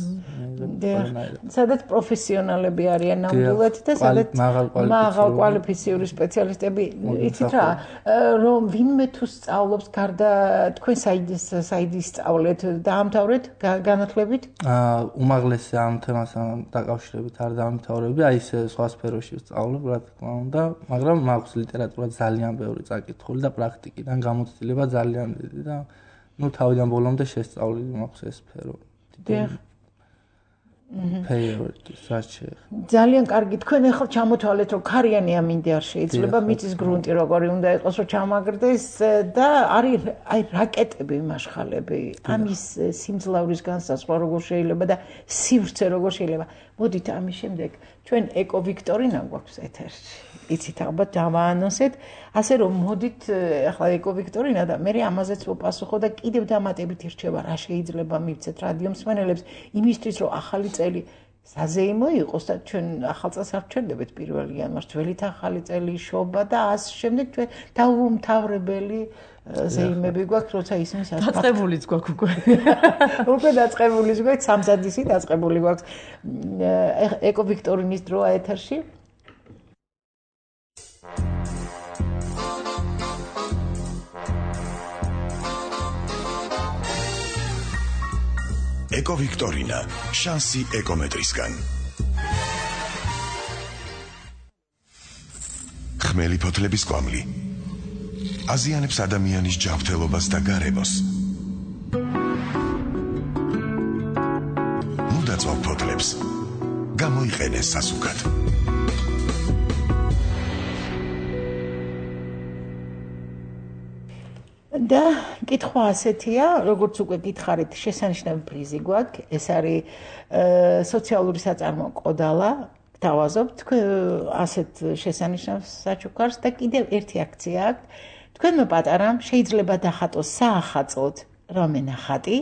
სადაც პროფესიონალები არიან ნამდვილად და სადაც მაღალკვალიფიციური სპეციალისტები. იცით რა, რომ ვინმე თუ სწავლობს გარდა თქვენ საიდის სწავლეთ, დაამთავრეთ განათლებით? უმაღლესი ამ თემასთან დაკავშირებით არ დამთავრები, აი ეს სხვა სფეროში ვსწავლობ, რა თქმა უნდა, მაგრამ მაქვს ლიტერატურა ძალიან ბევრი წაკითხული და პრაქტიკიდან გამოცდილება ძალიან დიდი და ნუ თავიდან ბოლომდე შესწავლილი მაქვს ეს სფერო. ძალიან კარგი, თქვენ ახლა ჩამოთვალეთ, რომ ქარიანი ამინდი არ შეიძლება, მიწის გრუნტი როგორი უნდა იყოს, რომ ჩამაგრდეს და არის აი რაკეტები, მაშხალები, ამის სიმძლავრის განსაზღვრა როგორ შეიძლება და სივრცე როგორ შეიძლება. მოდით ამის შემდეგ ჩვენ ეკო ვიქტორინა გვაქვს ეთერში. იცით ალბათ დავაანონსეთ, ასე რომ მოდით ახლა ეკო ვიქტორინა და მე ამაზეც ვპასუხო და კიდევ დამატებით ირჩევა რა შეიძლება მივცეთ რადიო მსმენელებს იმისთვის რომ ახალი წელი საზეიმო იყოს და ჩვენ ახალ წელს არ ვჩერდებით 1 იანვარს ძველით ახალი წელი შობა და ასე შემდეგ ჩვენ დაუმთავრებელი ზეიმები გვაქვს როცა ისინი დაწყებულიც გვაქვს უკვე უკვე დაწყებულიც გვაქვს სამზადისი დაწყებული გვაქვს ეკო ვიქტორინის დროა ეთერში ეკო ვიქტორინა შანსი ეკომეტრისგან ხმელი ფოთლების კვამლი აზიანებს ადამიანის ჯანმრთელობას და გარემოს მუდაწვავ ფოთლებს გამოიყენეს სასუქად და კითხვა ასეთია, როგორც უკვე გითხარით, შესანიშნავი პრიზი გვაქვს. ეს არის სოციალური საწარმო ყოდალა. დავაზობთ ასეთ შესანიშნავ საჩუქარს და კიდევ ერთი აქცია აქვს. თქვენმა პატარამ შეიძლება დახატოს საახაწოდ რამე ნახატი,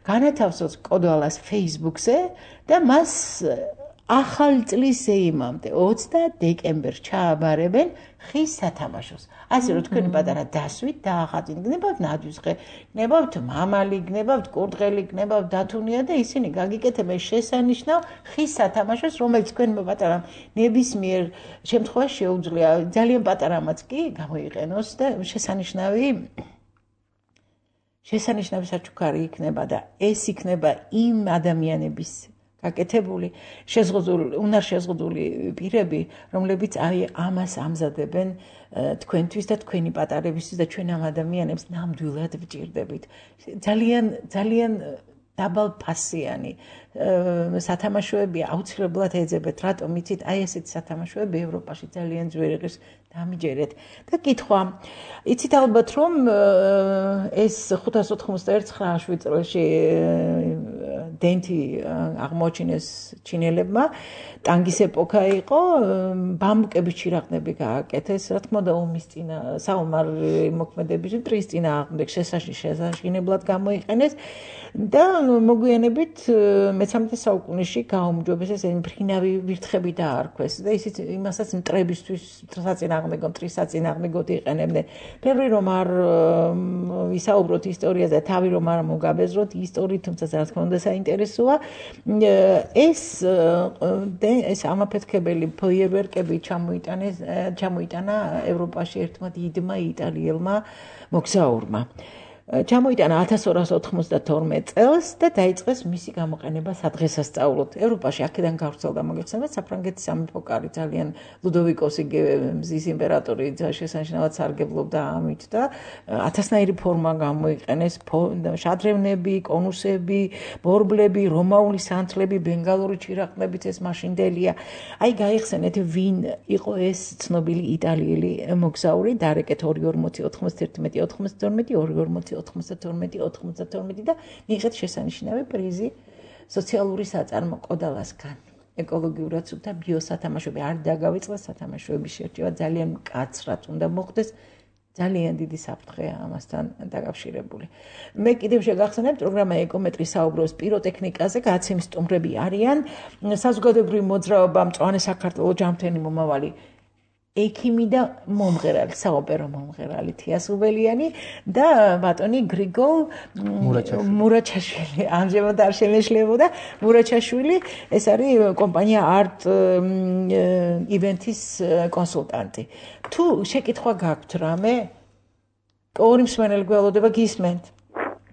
განათავსოს ყოდალას Facebook-ზე და მას ახალი წლის ზეიმამდე 20 დეკემბერს ჩააბარებენ ხის სათამაშოს. ასე რომ თქვენი პატარა დასვით დაახატეთ, გნებავთ ნადვისხე, გნებავთ მამალი, გნებავთ კურდღელი, გნებავთ დათუნია და ისინი გაგიკეთებენ შესანიშნავ ხის სათამაშოს, რომელიც თქვენმა პატარამ ნებისმიერ შემთხვევაში შეუძლია ძალიან პატარამაც კი გამოიყენოს და შესანიშნავი საჩუქარი იქნება და ეს იქნება იმ ადამიანების გაკეთებული უნარ შეზღუდული პირები, რომლებიც ამას ამზადებენ თქვენთვის და თქვენი პატარებისთვის და ჩვენ ამ ადამიანებს ნამდვილად ვჭირდებით. ძალიან დაბალფასიანი სათამაშოები აუცილებლად ეძებეთ. რატომ იცით? აი ესეთი სათამაშოები ევროპაში ძალიან ძვირი ღირს დამიჯერეთ. და კითხვა, იცით ალბათ რომ ეს 591 წელში დენტი აღმოჩინეს ჩინელებმა, ტანგის ეპოქა იყო, ბამბუკების ჩირაღნები გააკეთეს, რა თქმა უნდა ომის წინა საომარი მოქმედების ტრის წინააღმდეგ შესაშინებლად გამოიყენეს და მოგვიანებით მე-13 საუკუნეში გაუმჯობეს ეს მფრინავი ვირთხები დაარქვეს და ისიც იმასაც მტრებისთვის საწინააღმდეგო მტრის საწინააღმდეგოდ იყენებდნენ. ბევრი რომ არ ვისაუბროთ ისტორიაზე, თავი რომ არ მოგაბეზროთ ისტორიით, თუმცა რა თქმა უნდა საინტერესოა. ეს ამაფეთქებელი ფოიერვერკები ჩამოიტანა ევროპაში ერთმა დიდმა იტალიელმა მოგზაურმა. ჩამოიტანა 1292 წელს და დაიწყეს მისი გამოყენება სადღესასწაულოდ. ევროპაში აქედან გავრცელდა მოგეხსენებათ საფრანგეთის სამეფო კარი ძალიან ლუდოვიკოსი მზის იმპერატორი შესანიშნავად სარგებლობდა ამით და 1000-ნაირი ფორმა გამოიყენეს შადრევნები, კონუსები, ბორბლები, რომაული სანთლები, ბენგალური ჩირაღნებიც ეს მაშინდელია. აი გაიხსენეთ ვინ იყო ეს ცნობილი იტალიელი მოგზაური, დარეკეთ 241 92 და მიიღეთ შესანიშნავი პრიზი სოციალური საწარმო ყოდალასგან. ეკოლოგიურად სუფთა ბიოსათამაშოები არ დაგავიწყდეს სათამაშოების შერჩევა ძალიან მკაცრად უნდა მოხდეს. ძალიან დიდი საფრთხეა ამასთან დაკავშირებული. მე კიდევ შეგახსენებთ პროგრამა ეკომეტრი საუბრობს პიროტექნიკაზე, გაცემის სტუმრები არიან საზოგადოებრივი მოძრაობა მწვანე საქართველოს ჯანმრთელი მომავალი ექიმი და მომღერალი, საოპერო მომღერალი თიასუბელიანი და ბატონი გრიგოლ მურაჩაშვილი. ამჟამად არ შემეშლებოდა მურაჩაშვილი, ეს არის კომპანია არტ ივენთის კონსულტანტი. თუ შეკითხვა გაქვთ რამე, ორი მსმენელი გველოდება გისმენთ?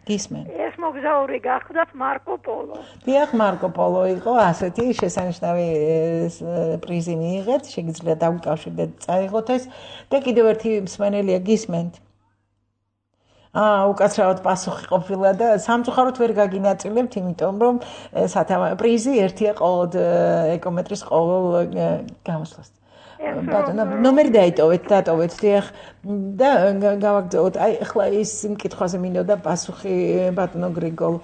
ეს მოგზაური გახდათ მარკო პოლო. დიახ, მარკო პოლო იყო, ასეთი შესანიშნავი პრიზი მიიღეთ, შეგიძლიათ დავუკავშირდეთ, წაიღოთ ეს და კიდევ ერთი მსმენელია გისმენთ. უკაცრავად პასუხი ყოფილა და სამწუხაროდ ვერ გაგინაწილებთ, იმიტომ რომ პრიზი ერთია ყოველ ეკომეტრის ყოველ გამოსვლას. ბატონო ნომერი დაიტოვეთ დიახ და გავაგრძელოთ აი ახლა ის მკითხვაზე მინდოდა პასუხი ბატონო გრიგოლ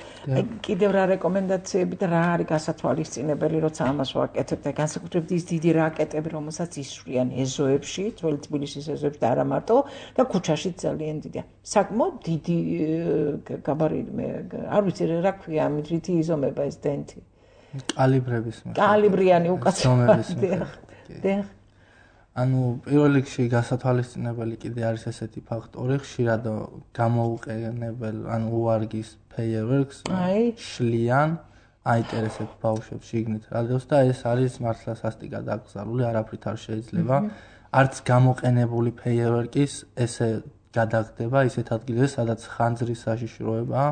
კიდევ რა რეკომენდაციები და რა არის გასათვალისწინებელი როცა ამას ვაკეთებ და განსაკუთრებით ის დიდი რაკეტები რომელსაც ისვრიან ეზოებში ძველი თბილისის ეზოებში და არა მარტო და ქუჩაში ძალიან დიდია საკმაოდ დიდი გაბარიტი არ ვიცი რა ქვია ამით რითი იზომება ეს დენტი კალიბრიანი უკაცრავად დიახ ანუ პირველ რიგში გასათვალისწინებელი კიდე არის ესეთი ფაქტორი, ხშირად გამოუყენებელ, ანუ უარგის ფეიერვერკს შლიან, აინტერესებს ბავშვებს შიგნით რადიოს და ეს არის მართლა სასტიკად აკრძალული, არაფრით არ შეიძლება. არც გამოყენებული ფეიერვერკის ესე გადაგდება ისეთ ადგილზე, სადაც ხანძრის საშიშროებაა.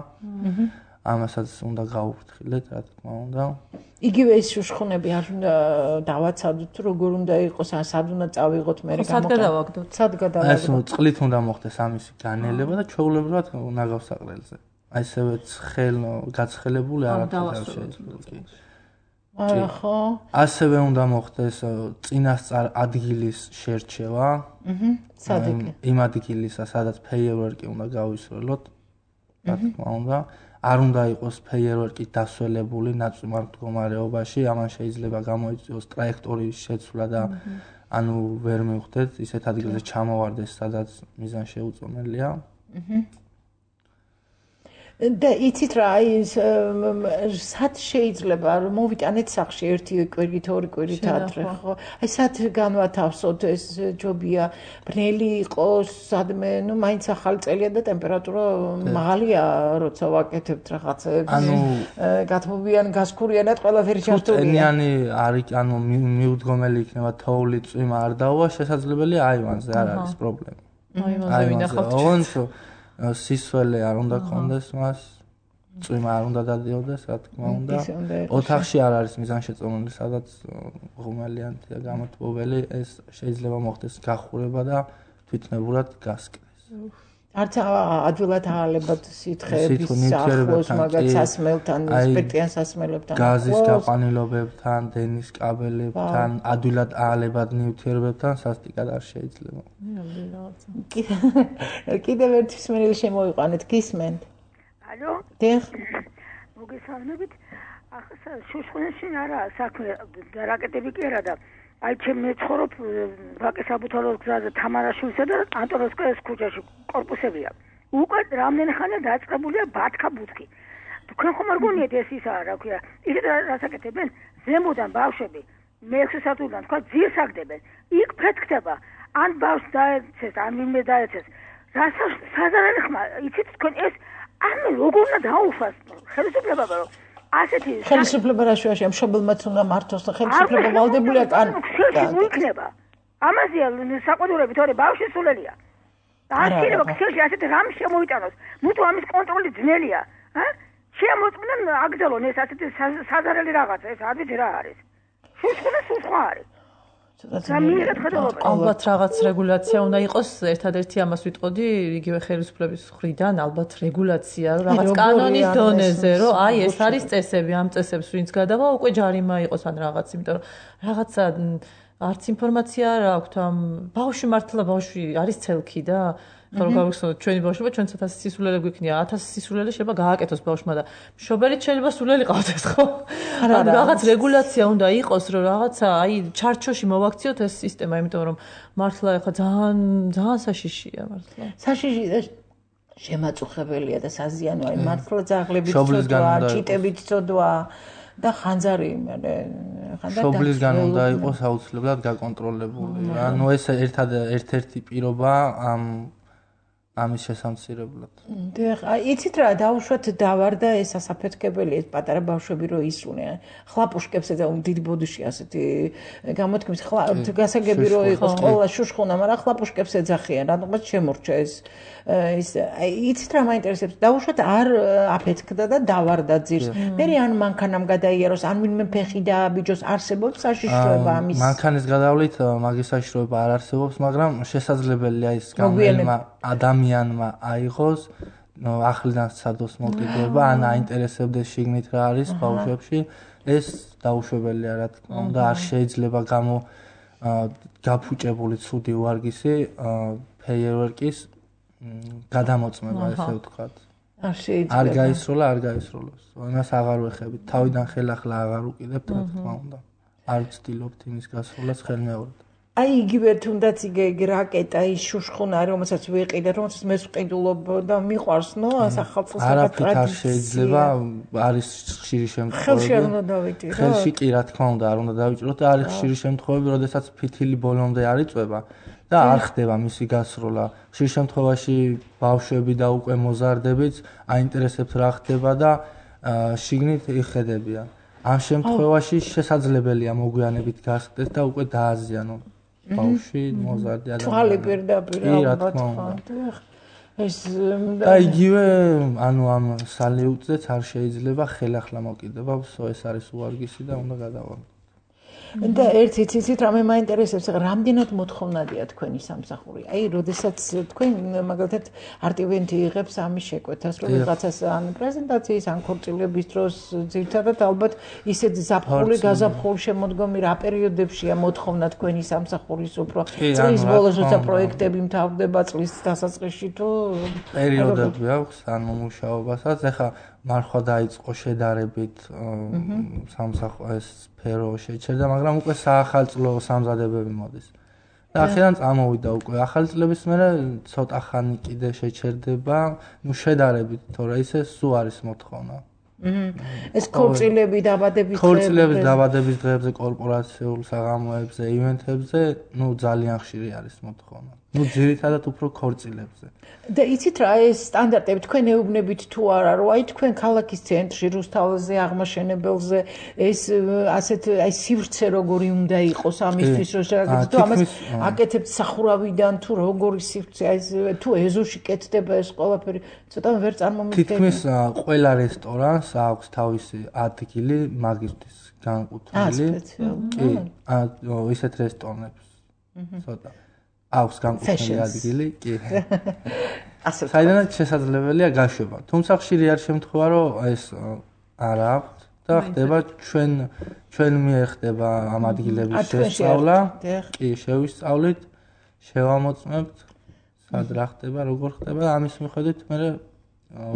ამასაც უნდა გავუფრთხილდეთ, რა თქმა უნდა. იგივე ეს შუშხუნები არ უნდა დავაცადოთ, როგორ უნდა იყოს, სად უნდა წავიღოთ მე სად გადავაგდოთ? ეს წყლით უნდა მოხდეს ამისი განელება და ჩვეულებრივად უნდა გავსაყრელზე. აი ესევე გაცხელებული არ არის შეიძლება. ხო. ასევე უნდა მოხდეს წინასწარ ადგილის შერჩევა. სად იგი? იმ ადგილისა, სადაც ფეიერვერკი უნდა გავისროლოთ. რა თქმა უნდა. არ უნდა იყოს ფეიერვერკი დასველებული ნაწმარ მდგომარეობაში, ამან შეიძლება გამოიწვიოს ტრაექტორიის შეცვლა და ანუ ვერ მივხვდეთ ისეთ ადგილზე ჩამოვარდეს, სადაც მიზანშეუწონელია. და იცით რა, სად შეიძლება რომ მოვიტანეთ სახში ერთი კვირით, ორი კვირით ადრე, ხო? აი სად განვათავსოთ ეს ჯობია, ბნელი იყოს, სადმე, ну, მაინც ახალი წელია და ტემპერატურა მაღალია, როცა ვაკეთებთ რაღაცებს. ანუ გათმობიან, გასქურიანად ყველაფერი ჩართულია. ტენიანი არის, ანუ მიუდგომელი იქნება თოვლი, წვიმა არ დაუვა, შესაძლებელია აივანზე არ არის პრობლემა. აივანზე ვინახავთ. სისველი არ უნდა გქონდეს მას, წვიმა არ უნდა დადიოდეს, რა თქმა უნდა. ოთახში არ არის მიზანშეწონილი, სადაც ღუმელიანია გამოთბობელი, ეს შეიძლება მოხდეს გახურება და თვითნებურად გასკდეს. არც ადვილად აალებად სითხეების ახლოს, მაგაც სასმელთან, სპირტიან სასმელებთან, გაზის გაყვანილობებთან, დენის კაბელებთან, ადვილად აალებად ნივთიერებებთან სასტიკად არ შეიძლება. კიდევ ერთი მსმენელი შემოვიყვანეთ, გისმენთ? ალო? დიახ. მოგესალმებით. ახლა შუშხუნაში არა საქმე, რაკეტები კი არა და აი ჩემ მეცხოვრობ ვაკე საბუთალოს გზაზე თამარაშვილსა და ანტონოვსკაიას ქუჩაში კორპუსებია. უკვე რამდენი ხანია დაწყებულია ბათქა ბუთქი. თქვენ ხომ არ გონიათ ეს ისაა, რა ქვია, ისეთ რასაკეთებენ, ზემოდან ბავშვები მე-6 სართულიდან თქვა ძირს აგდებენ. იქ ფეთქდება, ან ბავშვს დაეცეს, ან ვინმე დაეცეს. რასაც საზარელი ხმა, იცით თქვენ ეს არ როგორ უნდა დაუფას ხელისუფლება რომ ასეთი ხელისუფლება რაშუაშია მშობელმაც უნდა მართოს და ხელისუფლება ვალდებულია იქნება ამაზეა საყოველთაოდ თორე ბავშვი სულელია არ შეიძლება ქსელში ასეთი რამ შემოიტანოს მუდო ამის კონტროლი ძნელია შემოწმდნენ აგზელონ ეს ასეთი საზარელი რაღაცა ეს არ ვიცი რა არის სულ არის ალბათ რაღაც რეგულაცია უნდა იყოს, ერთადერთი ამას ვიტყოდი, იგივე ხელისუფლების მხრიდან, ალბათ რეგულაცია, რაღაც კანონის დონეზე, რომ აი ეს არის წესები, ამ წესებს ვინც გადავა, უკვე ჯარიმა იყოს ან რაღაც, იმიტომ რომ რაღაცა არც ინფორმაცია არ აქვთ ამ ბავშვი მართლა ბავშვი არის ცელქი და ხო რომ გავიხსენოთ ჩვენი ბავშვობა ჩვენც 1000 სისულელე გვიქნია 1000 სისულელე შეიძლება გააკეთოს ბავშვმა და მშობელიც შეიძლება სულელი ყავდეს ხო ანუ რაღაც რეგულაცია უნდა იყოს რომ რაღაცა აი ჩარჩოში მოვაქციოთ ეს სისტემა იმიტომ რომ მართლა ეხლა ძალიან საშიშია მართლა საშიში და შემაწუხებელია და საზიანო აი მართლა ძაღლებით წოდვა ჭიტებით წოდვა და ხანძარი მშობლისგან უნდა იყოს აუცილებლად გაკონტროლებული ანუ ეს ერთ-ერთი პირობა ამის შესამცირებლად. დიახ, იცით რა, დაუშვათ დავარდა ეს ასაფეთქებელი, ეს პატარა ბავშვები რო ისუნიან. ხლაპუშკებსა და დიდი ბოდიში ასეთი გამოთქმის გასაგები რო იყოს ყოლა შუშხუნა, მაგრამ ხლაპუშკებს ეძახიან, რადგან შემორჩა ეს იცით რა მაინტერესებს, დაუშვათ არ აფეთქდა და დავარდა ძირს. მე ან მანქანამ გადაიაროს, ან ვინმე ფეხი დააბიჯოს, არსებობს საშიშროება ამის. მანქანის გადავლით მაგის საშიშროება არ არსებობს, მაგრამ შესაძლებელია ის გამელმა ადამიანმა აიღოს ახლიდან სადოს მოკიდება ან აინტერესებდეს შიგნით რა არის ბავშვებში ეს დაუშვებელია რა თქმა უნდა არ შეიძლება გაფუჭებული ცუდი ვარგისი ფეიერვერკის გადამოწმება, ესე ვთქვათ. არ გაისროლა, არ გაისროლოს. იმას აღარ ვეხებით. თავიდან ხელახლა აღარ უკიდებთ, რა თქმა უნდა. არ ვცდილობთ იმის გასროლას ხელმეორედ. აი იგივე თუნდაც იგი რაკეტა ის შუშხუნარი, რომელსაც ვიყიდე, რომელსაც მე ვყიდულობ და მიყვარს, ნო, სახელმწიფოს არაფრით არ შეიძლება, არის ხშირი შემთხვევები. ხელში არ უნდა დავიჭირო. ხელში კი, რა თქმა უნდა, არ უნდა დავიჭიროთ და არის ხშირი შემთხვევები, როდესაც ფითილი ბოლომდე არ იწვება და არ ხდება მისი გასროლა. ხშირ შემთხვევაში ბავშვები და უკვე მოზარდებიც აინტერესებთ რა ხდება და შიგნით იხედებიან. ამ შემთხვევაში შესაძლებელია მოგვიანებით გასხდეს და უკვე დააზიანონ ბავშვი, მოზარდი ადამიანი. თვალი პირდაპირ ალბათ ეს და იგივე ანუ ამ სალიუტზეც არ შეიძლება ხელახლა მოკიდება, ეს არის უვარგისი და უნდა გადავარდოთ. და ერთი ციცით რამე მაინტერესებს, რამდენად მოთხოვნადია თქვენი სამსახური. აი, როდესაც თქვენ მაგალითად არტივენტი იღებს ამის შეკვეთას, რომ ვიღაცას ან პრეზენტაციის, ან ქორწილების დროს ძირთადად ალბათ ისეთ ზაფხული, გაზაფხული შემოდგომი რა პერიოდებშია მოთხოვნა თქვენი სამსახურის უფრო წლის ბოლოს, როცა პროექტები მთავრდება წლის დასაწყისში თუ პერიოდები აქვს ან მომუშაობასაც. ეხლა მარხვა დაიწყო შედარებით სამსახურის სფერო შეჩერდა, მაგრამ უკვე საახალწლო სამზადებები მოდის. და ახლა წამოვიდა უკვე ახალი წლების მერე ცოტა ხანი კიდე შეჩერდება, ნუ შედარებით, თორე ისე სულ არის მოთხოვნა. ეს ქორწილები, დაბადების დღეებზე, ქორწილების დაბადების დღეებზე, კორპორაციულ საღამოებზე, ივენთებზე, ნუ ძალიან ხშირი არის მოთხოვნა. ნუ ძირითადად უფრო ქორწილებზე. და იცით რა ეს სტანდარტები თქვენ ეუბნებით თუ არა, რომ აი თქვენ ქალაქის ცენტრში, რუსთაველზე, აღმაშენებელზე ეს ასეთ აი სივრცე როგორი უნდა იყოს ამისთვის, რომ შეგაგებთ თუ ამას აკეთებთ სახურავიდან თუ როგორი სივრცე, აი თუ ეზოში კეთდება ეს ყველაფერი, ცოტა ვერ წარმომიდგენთ. თითქმის ყველა რესტორანს აქვს თავისი ადგილი მაგისტრის განკუთვნილი. კი, ისეთ რესტორნებს. ცოტა აქვს განკუთვნილი ადგილი, კი. საიდანაც შესაძლებელია გაშვება. თუმცა ხშირი არ შემთხვევა, რომ ეს არ აქვს და ხდება ჩვენ მიერ ხდება ამ ადგილების შესწავლა. კი, შევისწავლით, შევამოწმებთ, სად რა ხდება, როგორ ხდება და ამის მიხედვით მე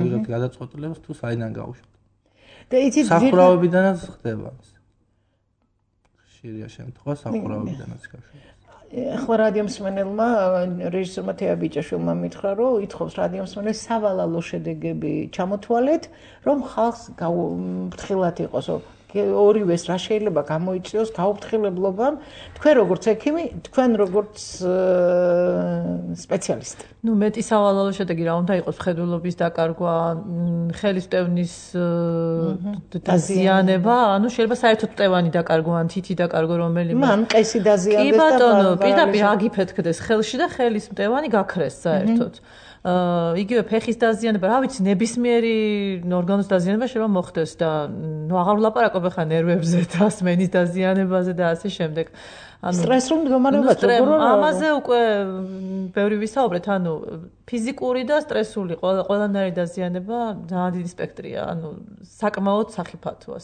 ვიღებთ გადაწყვეტილებას თუ საიდან გავუშვათ. და იცით სახურავებიდანაც ხდება ეს. ხშირია შემთხვევა სახურავებიდანაც გაშვება. ახლა რადიომსმენელმა რეჟისორმა თეა ბიჭაშვილმა მითხრა, რომ ითხოვს რადიომსმენელს სავალალო შედეგები ჩამოთვალეთ, რომ ხალხს ფრთხილად იყოს. ორივეს რა შეიძლება გამოიწვიოს გაუფრთხილებლობამ, თქვენ როგორც ექიმი, თქვენ როგორც სპეციალისტი. ნუ მეტი სავალალო შედეგი რა უნდა იყოს, მხედველობის დაკარგვა, ხელის მტევნის დაზიანება, ანუ შეიძლება საერთოდ მტევანი დაკარგვა, ან თითი დაკარგვა რომელიმე. მან მყესი დაზიანდეს და კი ბატონო, პირდაპირ აგიფეთქდეს ხელში და ხელის მტევანი გაქრეს საერთოდ. იგივე ფეხის დაზიანება, რა ვიცი, ნებისმიერი ორგანოს დაზიანება შეიძლება მოხდეს და ნუ აღარ ვლაპარაკობ ახლა ნერვებზე და სმენის დაზიანებაზე და ასე შემდეგ. სტრესულ მდგომარეობაზე როგორ ამაზე უკვე ბევრი ვისაუბრეთ, ანუ ფიზიკური და სტრესული ყველანაირი დაზიანება ძალიან დიდი სპექტრია, ანუ საკმაოდ სახიფათოა.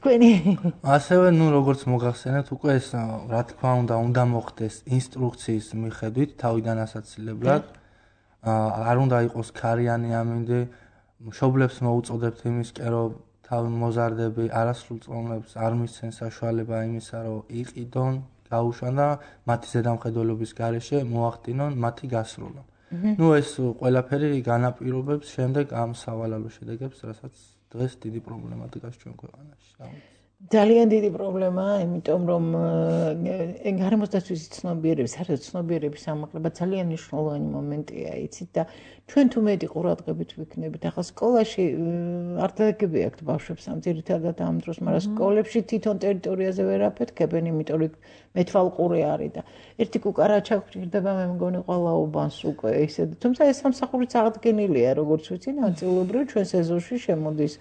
ასევე ნუ როგორც მოგახსენეთ, უკვე ეს რა თქმა უნდა მოხდეს ინსტრუქციის მიხედვით თავიდან ასაცილებლად. არ უნდა იყოს ქარიანი ამინდი, მშობლებს მოუწოდებთ იმისკენ, რომ თავი მოზარდები არასრულ წონებს არ მისცენ საშუალება იმისა, რომ იყიდონ, გაუშვან და მათი ზედამხედველობის გარეშე მოახდინონ მათი გასროლა. ნუ ეს ყველაფერი განაპირობებს შემდეგ ამ სავალალო შედეგებს, რასაც დღეს დიდი პრობლემა დგას ჩვენ ქვეყანაში. ძალიან დიდი პრობლემაა, იმიტომ რომ გარემოსდაცვის ცნობიერების, საერთოდ ცნობიერების ამაღლება ძალიან მნიშვნელოვანი მომენტია, იცით და ჩვენ თუ მეტი ყურადღებით ვიქნებით, ახლა სკოლაში არ დაგები აქვთ ბავშვებს ამ ძირითადად ამ დროს, მაგრამ სკოლებში თვითონ ტერიტორიაზე ვერ აფეთქებენ, იმიტომ რომ მეთვალყური არის და ერთი კუკარაჩა გვჭირდება, მე მგონი ყველა უბანს უკვე ისე. თუმცა ეს სამსახურიც აღდგენილია, როგორც ვიცი, ნაწილობრივ ჩვენ სეზონში შემოდის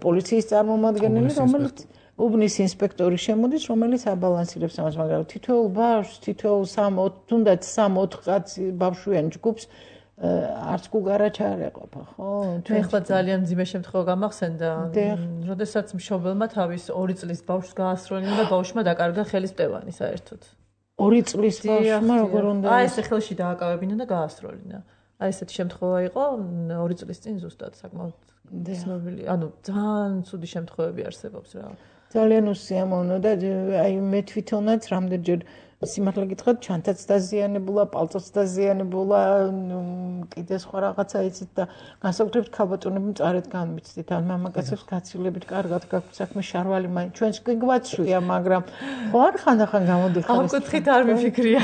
პოლიციის წარმომადგენელი, რომელიც უბნის ინსპექტორი შემოდის, რომელიც აბალანსირებს ამას, მაგრამ თითოეულ ბავშვს, თითოეულ 3-4 კაცი ბავშვიან ჯგუფს არც გუგარაჩ არ ეყოფა, ხო? მე ხლა ძალიან მძიმე შემთხვევა გამახსენდა, როდესაც მშობელმა თავის 2 წლის ბავშვს გაასროლინა და ბავშვმა დაკარგა ხელის მტევანი საერთოდ. 2 წლის ბავშვმა როგორ უნდა? აი ესე ხელში დააკავებინა და გაასროლინა. აი ესეთი შემთხვევა იყო 2 წლის წინ ზუსტად საკმაოდ ცნობილი. ანუ ძალიან ცუდი შემთხვევები არსებობს რა. ძალიან უსიამოვნო და აი მე თვითონაც რამდენჯერ სიმართლე გითხრათ, ჩანთაც დაზიანებულა, პალტოც დაზიანებულა, კიდე სხვა რაღაცა იცით და განსაკუთრებით ქალბატონები მწარედ განმიცდით. ან მამაკაცებს გაცილებით კარგად გაქვთ საქმე, შარვალი მაინც ჩვენს კი გვაცვია, მაგრამ ხო არ ხანდახან გამოდიხარ. ამ კუთხით არ მიფიქრია.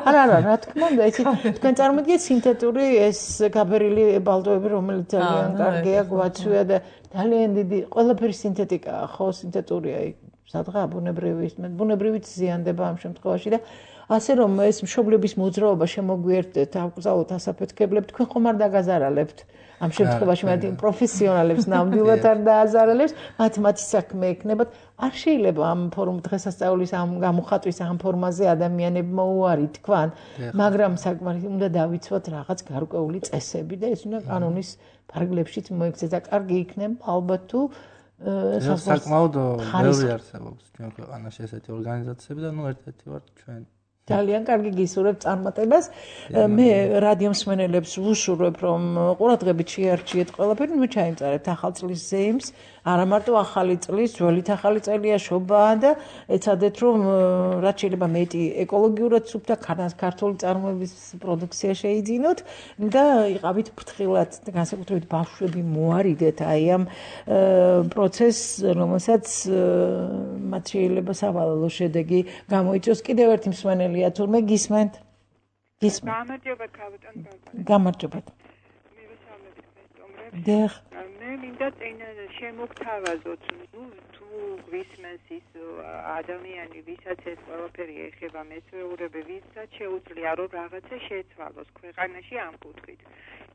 არა, რა თქმა უნდა, იცით, თქვენ წარმოგიდგენთ სინთეტური ეს გაბერილი ბალტოები, რომელიც ძალიან კარგია, გვაცვია და ძალიან დიდი ყველაფერი სინთეტიკაა, ხო, სინთეტურია იქ. სადღა ბუნებრივით ზიანდება ამ შემთხვევაში და ასე რომ ეს მშობლების მოძრაობა შემოგვიერთდეთ, აკრძალოთ ასაფეთქებლებს, თქვენ ხომ არ დაგაზარალებთ ამ შემთხვევაში მათი პროფესიონალებს ნამდვილად არ დააზარალებს, მათი საქმე ექნებათ. არ შეიძლება ამ დღესასწაულის ამ გამოხატვის ამ ფორმაზე ადამიანებმა უარი თქვან, მაგრამ საკმაოდ უნდა დავიცვათ რაღაც გარკვეული წესები და ეს უნდა კანონის ფარგლებშიც მოექცეს და კარგი იქნება ალბათ თუ საკმაოდ ბევრი არსებობს ჩვენ ქვეყანაში ესეთი ორგანიზაციები და ერთ-ერთი ვარ ჩვენ. ძალიან კარგი გისურვებ წარმატებას. მე რადიო მსმენელებს ვუსურვებ, რომ ყურადღებით შეარჩიეთ ყველაფერი, ნუ ჩაიმწარეთ ახალ წლის ზეიმს, არა მარტო ახალი წლის, ძველით ახალი წელია შობაა და ეცადეთ, რომ რაც შეიძლება მეტი ეკოლოგიურად სუფთა ქართული წარმოების პროდუქცია შეიძინოთ და იყავით ფრთხილად, განსაკუთრებით ბავშვები მოარიდეთ აი ამ პროცესს, რომელსაც მათ შეიძლება სავალალო შედეგი გამოიწვიოს. კიდევ ერთი მსმენელია თურმე გისმენთ? გამარჯობა ქალბატონ ბაბა. გამარჯობა. დიახ. მე მინდა წინ შემოგთავაზოთ, თუ გვისმენს ის ადამიანი, ვისაც ეს ყველაფერი ეხება, მეცეურები, ვისაც შეუძლია რომ რაღაცა შეცვალოს ქვეყანაში ამ კუთხით.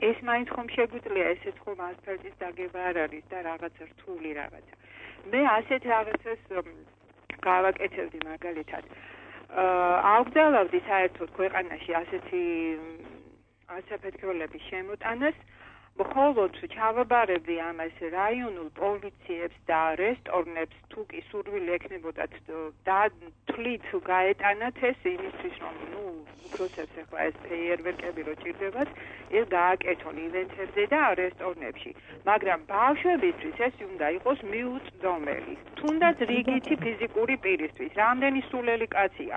ეს მაინც ხომ შეგვიძლია, ესეც ხომ ასფალტის დაგება არ არის და რაღაცა რთული რაღაცა. მე ასეთ რაღაცას გავაკეთებდი მაგალითად. აუგზავნებდი საერთოდ ქვეყანაში ასეთი ასაფეთქებლების შემოტანას, მხოლოდ ჩავაბარებდი ამას რაიონულ პოლიციებს და რესტორნებს, თუ კი სურვილი ექნებოდათ და თვლით გაეტანათ ეს იმისთვის, რომ უფროსებს ახლა ეს ფეიერვერკები რო ჭირდებათ, ეს გააკეთონ ივენთებზე და რესტორნებში. მაგრამ ბავშვებისთვის ეს უნდა იყოს მიუწვდომელი, თუნდაც რიგითი ფიზიკური პირისთვის, რამდენი სულელი კაცია.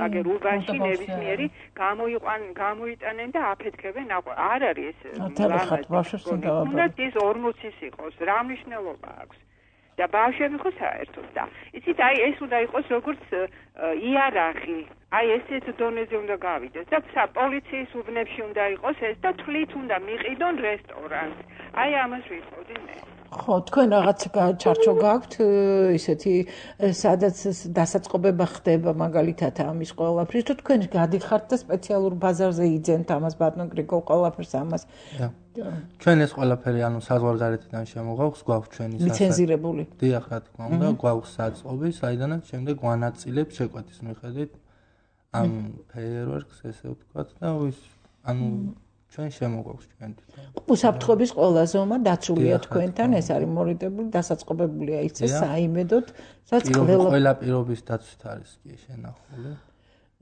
აგერ ურბანში ნებისმიერი გამოიტანენ და აფეთქებენ, არ არის ეს თუნდაც ის 40-ის იყოს, რა მნიშვნელობა აქვს და ბავშვები ხო საერთოდ და იცით, აი ეს უნდა იყოს როგორც იარაღი, აი ესეთ დონეზე უნდა გავიდეს და პოლიციის უბნებში უნდა იყოს ეს და თვლით უნდა მიყიდონ რესტორანს. აი ამას ვიტყოდი მე. ხო, თქვენ რაღაც ჩარჩო გაქვთ ისეთი, სადაც დასაწყობება ხდება მაგალითად ამის ყველაფრის, თუ თქვენ გადიხართ და სპეციალურ ბაზარზე იძენთ ამას ბატონ გრიგოლ ყველაფერს ამას. ჩვენ ეს ყველაფერი ანუ საზღვარგარეთიდან შემოგვაქვს, გვაქვს ჩვენი ლიცენზირებული. დიახ, რა თქმა უნდა, გვაქვს საწყობი, საიდანაც შემდეგ ვანაწილებ შეკვეთის მიხედვით ამ ფეიერვერკს, ესე ვთქვათ და ანუ ჩვენ შემოგვაქვს ჩვენ თვითონ. უსაფრთხოების ყველა ზომა დაცულია თქვენთან, ეს არის მორიდებული, დასაწყობებულია ისე საიმედოდ, სადაც ყველა პირობის დაცვით არის კი შენახული.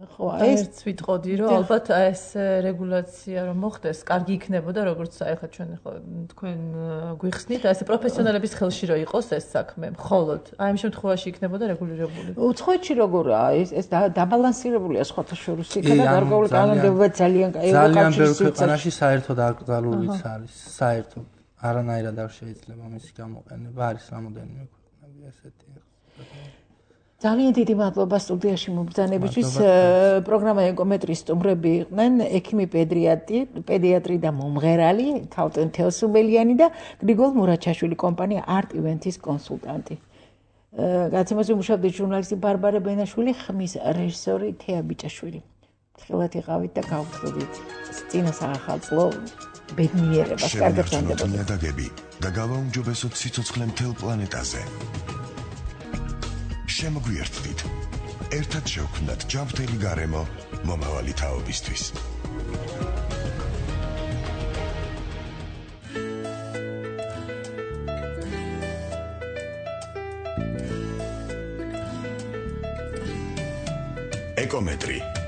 ხო, ეს ვიტყოდი, რომ ალბათ ეს რეგულაცია რომ მოხდეს, კარგი იქნებოდა, როგორც ახლა ჩვენ ხო თქვენ გვიხსნით, ესე პროფესიონალების ხელში რო იყოს ეს საქმე, მხოლოდ აი ამ შემთხვევაში იქნებოდა რეგულირებული. უცხოეთში როგორაა ეს დაბალანსირებულია სხვათა შორის, იქა და გარკვეული კანონმდებლობა ძალიან ბევრ ქვეყანაში საერთოდ აკრძალულიც არის, საერთოდ არანაირად არ შეიძლება მისი გამოყენება, არის რამოდენიმე ქვეყნები ესეთი. ძალიან დიდი მადლობა სტუდიაში მობრძანებისთვის. პროგრამა ეკომეტრის სტუმრები იყვნენ ექიმი პედიატრი და მომღერალი ქალბატონ თეოსუბელიანი და გრიგოლ მურაჩაშვილი, კომპანია არტ ივენთის კონსულტანტი. გაცემაზე მუშაობდი ჟურნალისტი ბარბარე ბენაშვილი, ხმის რეჟისორი თეა ბიჭაშვილი. ხილად იყავით და გავხდით წინა საახალწლო ბედნიერებას. კარგად განდებოდეთ. ნიადაგები და გავაუმჯობესოთ სიცოცხლე მთელ პლანეტაზე. შემოგვიერთდით. ერთად შევქმნათ ჯანმრთელი გარემო მომავალი თაობისთვის. ეკომეტრი